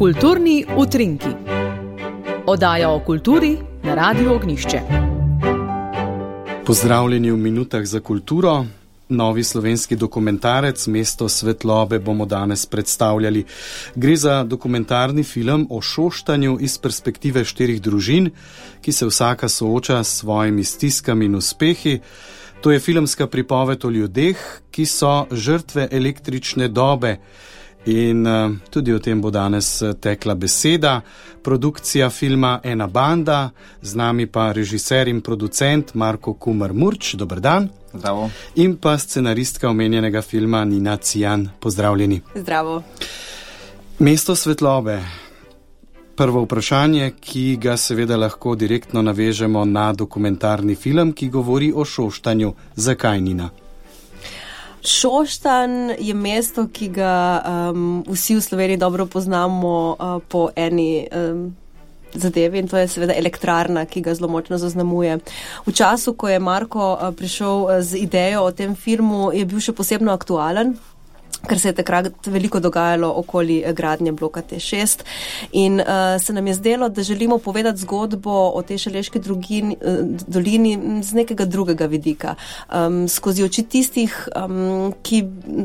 Kulturni utrinki. Oddaja o kulturi na Radiu Ognjišče. Pozdravljeni v minutah za kulturo. Novi slovenski dokumentarec Mesto svetlobe bomo danes predstavljali. Gre za dokumentarni film o Šoštanju iz perspektive 4 družin, ki se vsaka sooča s svojimi stiskami in uspehi. To je filmska pripoved o ljudeh, ki so žrtve električne dobe. In tudi o tem bo danes tekla beseda. Produkcija filma Ena banda, z nami pa režiser in producent Marko Kumer-Murč. Dober dan. Zdravo. In pa scenaristka omenjenega filma Nina Cijan. Pozdravljeni. Zdravo. Mesto svetlobe. Prvo vprašanje, ki ga seveda lahko direktno navežemo na dokumentarni film, ki govori o Šoštanju. Zakaj, Nina? Šoštanj je mesto, ki ga vsi v Sloveniji dobro poznamo po eni zadevi, in to je seveda elektrarna, ki ga zelo močno zaznamuje. V času, ko je Marko prišel z idejo o tem filmu, je bil še posebno aktualen, ker se je takrat veliko dogajalo okoli gradnje bloka T6 in se nam je zdelo, da želimo povedati zgodbo o tej šaleški dolini z nekega drugega vidika, skozi oči tistih,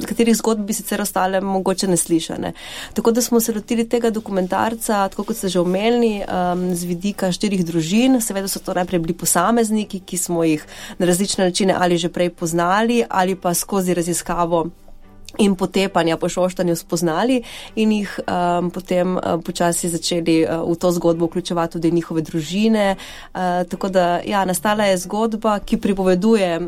katerih zgodb bi sicer ostale mogoče neslišane. Tako da smo se lotili tega dokumentarca, tako kot ste že omenili, z vidika 4 družin. Seveda so to najprej bili posamezniki, ki smo jih na različne načine ali že prej poznali ali pa skozi raziskavo in potepanja po Šoštanju spoznali in jih potem počasi začeli v to zgodbo vključevati tudi njihove družine. Tako da, ja, nastala je zgodba, ki pripoveduje,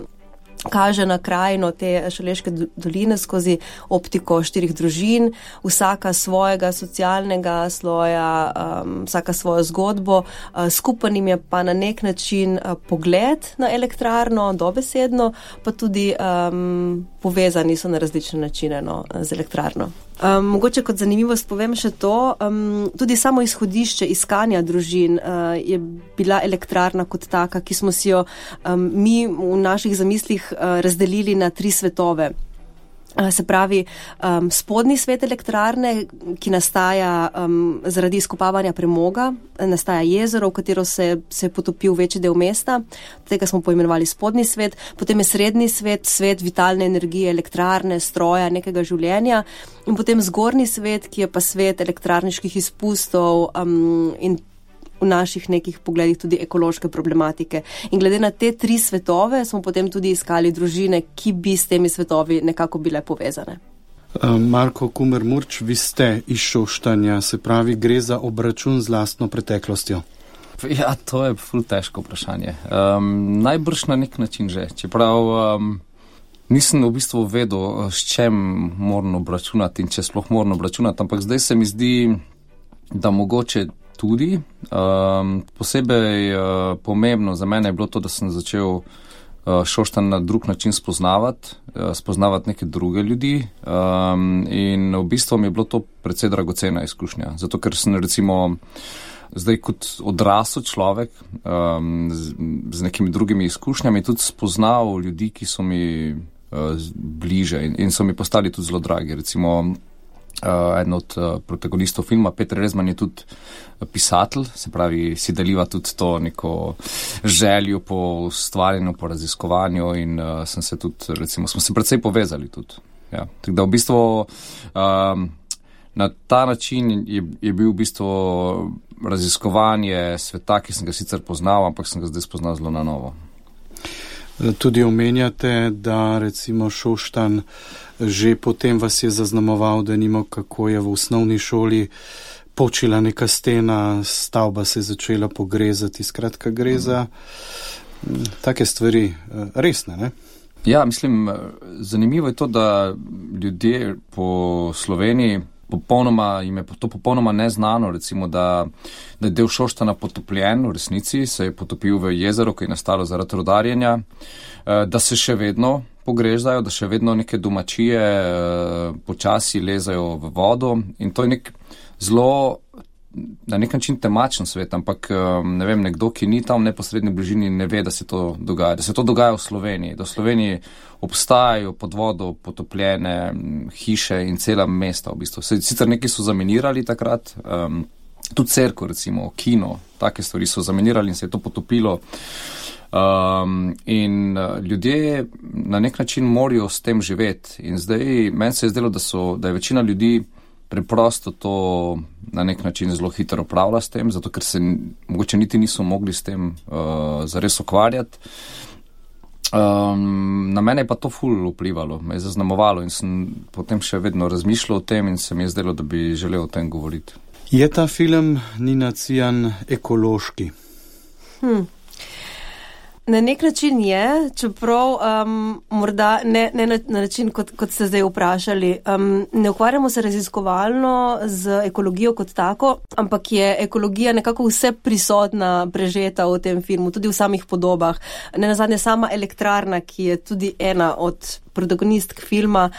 kaže na krajino te šaleške doline skozi optiko 4 družin, vsaka svojega socialnega sloja, vsaka svojo zgodbo, skupen jim je pa na nek način pogled na elektrarno, dobesedno, pa tudi povezani so na različne načine z elektrarno. Mogoče kot zanimivost povem še to, tudi samo izhodišče iskanja družin je bila elektrarna kot taka, ki smo si jo mi v naših zamislih razdelili na 3 svetove. Se pravi, spodnji svet elektrarne, ki nastaja zaradi izkopavanja premoga, nastaja jezero, v katero se je potopil večji del mesta, tega smo poimenovali spodnji svet, potem je srednji svet, svet vitalne energije, elektrarne, stroja, nekega življenja, in potem zgornji svet, ki je pa svet elektrarniških izpustov in v naših nekih pogledih tudi ekološke problematike. In glede na te 3 svetove smo potem tudi iskali družine, ki bi s temi svetovi nekako bile povezane. Marko Kumer-Murč, vi ste iz Šoštanja, se pravi, gre za obračun z lastno preteklostjo. Ja, to je ful težko vprašanje. Najbrž na nek način že. Čeprav nisem v bistvu vedel, s čem moram obračunati in če sploh moram obračunati, ampak zdaj se mi zdi, da mogoče tudi. Posebej pomembno za mene je bilo to, da sem začel Šoštanj na drug način spoznavati neke druge ljudi in v bistvu mi je bilo to precej dragocena izkušnja. Zato, ker sem recimo zdaj kot odrasel človek z nekimi drugimi izkušnjami tudi spoznal ljudi, ki so mi bliže in so mi postali tudi zelo dragi. Recimo eden od protagonistov filma, Peter Rezman, je tudi pisatelj, se pravi, si deliva tudi to neko željo po ustvarjanju, po raziskovanju in sem se tudi, recimo, smo se precej povezali tudi. Ja. Tako da v bistvu na ta način je bil v bistvu raziskovanje sveta, ki sem ga sicer poznal, ampak sem ga zdaj spoznal zelo na novo. Tudi omenjate, da recimo Šoštanj že potem vas je zaznamoval, da nimo, kako je v osnovni šoli počila neka stena, stavba se je začela pogrezati, skratka gre za take stvari resne, ne? Ja, mislim, zanimivo je to, da ljudje po Sloveniji jim je to popolnoma neznano, recimo, da je del Šoštana potopljen, v resnici se je potopil v jezero, ki je nastalo zaradi rudarjenja, da se še vedno pogrezajo, da še vedno neke domačije počasi lezajo v vodo in to je nek zelo na nek način temačen svet, ampak ne vem, nekdo, ki ni tam v neposredni bližini, ne ve, da se to dogaja. Da se to dogaja v Sloveniji. Da v Sloveniji obstajajo pod vodo potopljene hiše in cela mesta v bistvu. Sicer neki so zaminirali takrat, tudi cerkev recimo, kino, take stvari so zaminirali in se je to potopilo. In ljudje na nek način morajo s tem živeti. In zdaj meni se je zdelo, da je večina ljudi preprosto to na nek način zelo hitro upravlja s tem, zato ker se mogoče niti niso mogli s tem zares ukvarjati. Na mene je pa to ful vplivalo, me je zaznamovalo in sem potem še vedno razmišljal o tem in se mi je zdelo, da bi želel o tem govoriti. Je ta film, Nina Cijan, ekološki? Na nek način je, čeprav morda ne na način, kot ste zdaj vprašali. Ne ukvarjamo se raziskovalno z ekologijo kot tako, ampak je ekologija nekako vse prisotna, prežeta v tem filmu, tudi v samih podobah. Nenazadnje sama elektrarna, ki je tudi ena od protagonistk filma,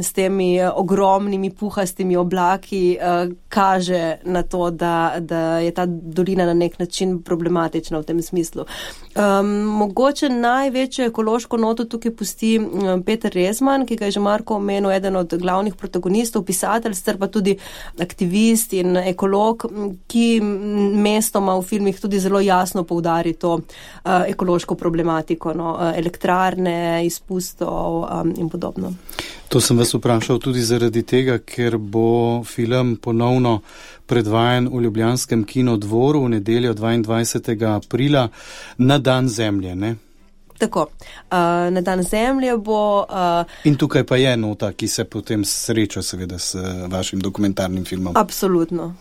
s temi ogromnimi puhastimi oblaki, kaže na to, da je ta dolina na nek način problematična v tem smislu. Mogoče največjo ekološko noto tukaj pusti Peter Rezman, ki ga je že Marko omenil, eden od glavnih protagonistov, pisatelj, sicer pa tudi aktivist in ekolog, ki mestoma v filmih tudi zelo jasno poudari to ekološko problematiko, elektrarne, izpustov in podobno. To sem vas vprašal tudi zaradi tega, ker bo film ponovno predvajan v ljubljanskem kinodvoru v nedeljo 22. aprila na Dan Zemlje, ne? Tako, na Dan Zemlje bo... In tukaj pa je nota, ki se potem sreča seveda s vašim dokumentarnim filmom. Absolutno.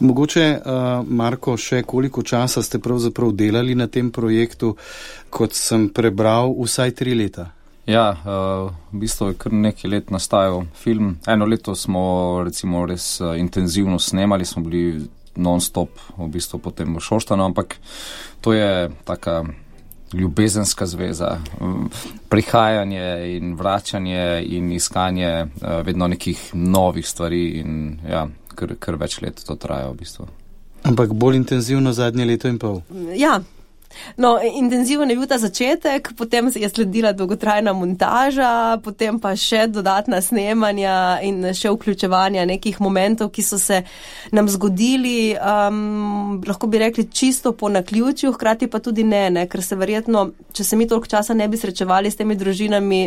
Mogoče, Marko, še koliko časa ste pravzaprav delali na tem projektu, kot sem prebral, vsaj 3 leta? Ja, v bistvu je kar nekaj let nastajal film. 1 leto smo recimo res intenzivno snemali, smo bili non-stop v bistvu potem v Šoštanu, ampak to je taka ljubezenska zveza, prihajanje in vračanje in iskanje vedno nekih novih stvari in ja, kar več let to traja v bistvu. Ampak bolj intenzivno zadnje leto in pol? Ja. No, intenziven je bil ta začetek, potem je sledila dolgotrajna montaža, potem pa še dodatna snemanja in še vključevanja nekih momentov, ki so se nam zgodili, lahko bi rekli čisto po naključju, hkrati pa tudi ne, ker se verjetno, če se mi toliko časa ne bi srečevali s temi družinami,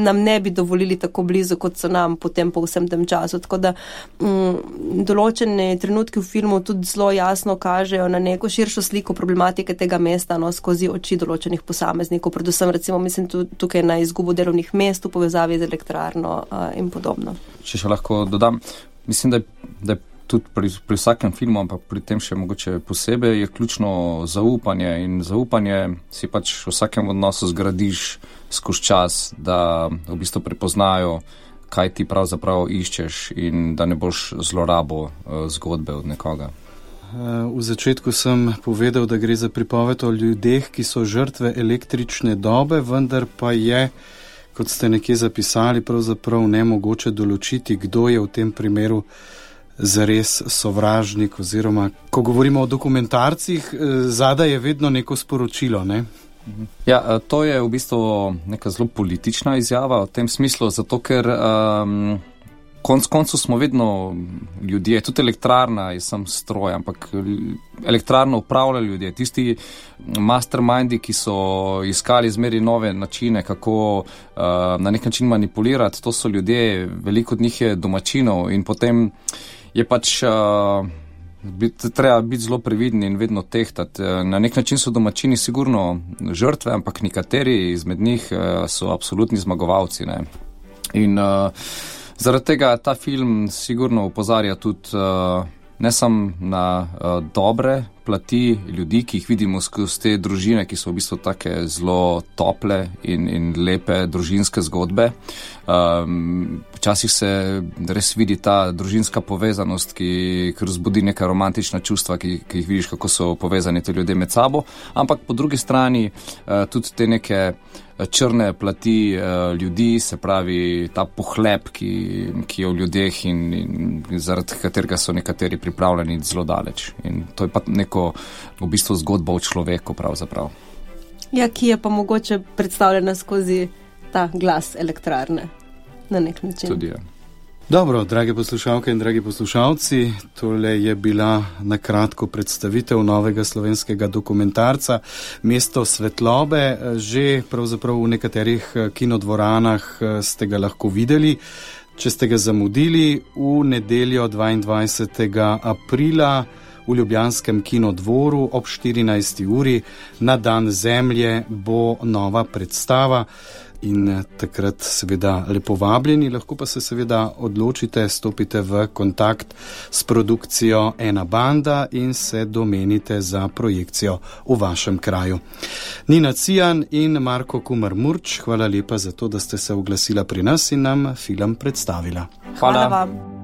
nam ne bi dovolili tako blizu, kot so nam potem po vsem tem času. Tako da določene trenutki v filmu tudi zelo jasno kažejo na neko širšo sliko problematike tega mesta, skozi oči določenih posameznikov, predvsem recimo mislim tukaj na izgubo delovnih mest v povezavi z elektrarno in podobno. Če še lahko dodam, mislim, da je tudi pri vsakem filmu, ampak pri tem še mogoče posebej, je ključno zaupanje in zaupanje si pač v vsakem odnosu zgradiš skozi čas, da v bistvu prepoznajo, kaj ti pravzaprav iščeš in da ne boš zlorabo zgodbe od nekoga. V začetku sem povedal, da gre za pripoved o ljudeh, ki so žrtve električne dobe, vendar pa je, kot ste nekje zapisali, pravzaprav nemogoče določiti, kdo je v tem primeru zares sovražnik, oziroma, ko govorimo o dokumentarcih, zadaj je vedno neko sporočilo, ne? Ja, to je v bistvu neka zelo politična izjava v tem smislu, zato ker koncu smo vedno ljudje, tudi elektrarna je sam stroj, ampak elektrarno upravljajo ljudje. Tisti mastermindi, ki so iskali zmeri nove načine, kako na nek način manipulirati, to so ljudje, veliko od njih je domačinov in potem je pač treba biti zelo previden in vedno tehtati. Na nek način so domačini sigurno žrtve, ampak nekateri izmed njih so absolutni zmagovalci, ne? In zaradi tega ta film sigurno opozarja tudi ne samo na dobre plati ljudi, ki jih vidimo skozi te družine, ki so v bistvu take zelo tople in lepe družinske zgodbe. Včasih se res vidi ta družinska povezanost, ki razbudi neka romantična čustva, ki jih vidiš, kako so povezani ti ljudje med sabo, ampak po drugi strani tudi te neke črne plati ljudi, se pravi ta pohlep, ki je v ljudeh in zaradi katerega so nekateri pripravljeni zelo daleč. In to je pa neko v bistvu zgodba o človeku pravzaprav. Ja, ki je pa mogoče predstavljena skozi ta glas elektrarne na nek način. Tudi je. Dobro, drage poslušalke in dragi poslušalci, tole je bila na kratko predstavitev novega slovenskega dokumentarca Mesto svetlobe. Že pravzaprav v nekaterih kinodvoranah ste ga lahko videli. Če ste ga zamudili, v nedeljo 22. aprila v ljubljanskem kinodvoru ob 14. uri na Dan Zemlje bo nova predstava. In takrat seveda lepo vabljeni, lahko pa se seveda odločite, stopite v kontakt s produkcijo Ena banda in se domenite za projekcijo v vašem kraju. Nina Cijan in Marko Kumer-Murč, hvala lepa za to, da ste se oglasila pri nas in nam film predstavila. Hvala vam.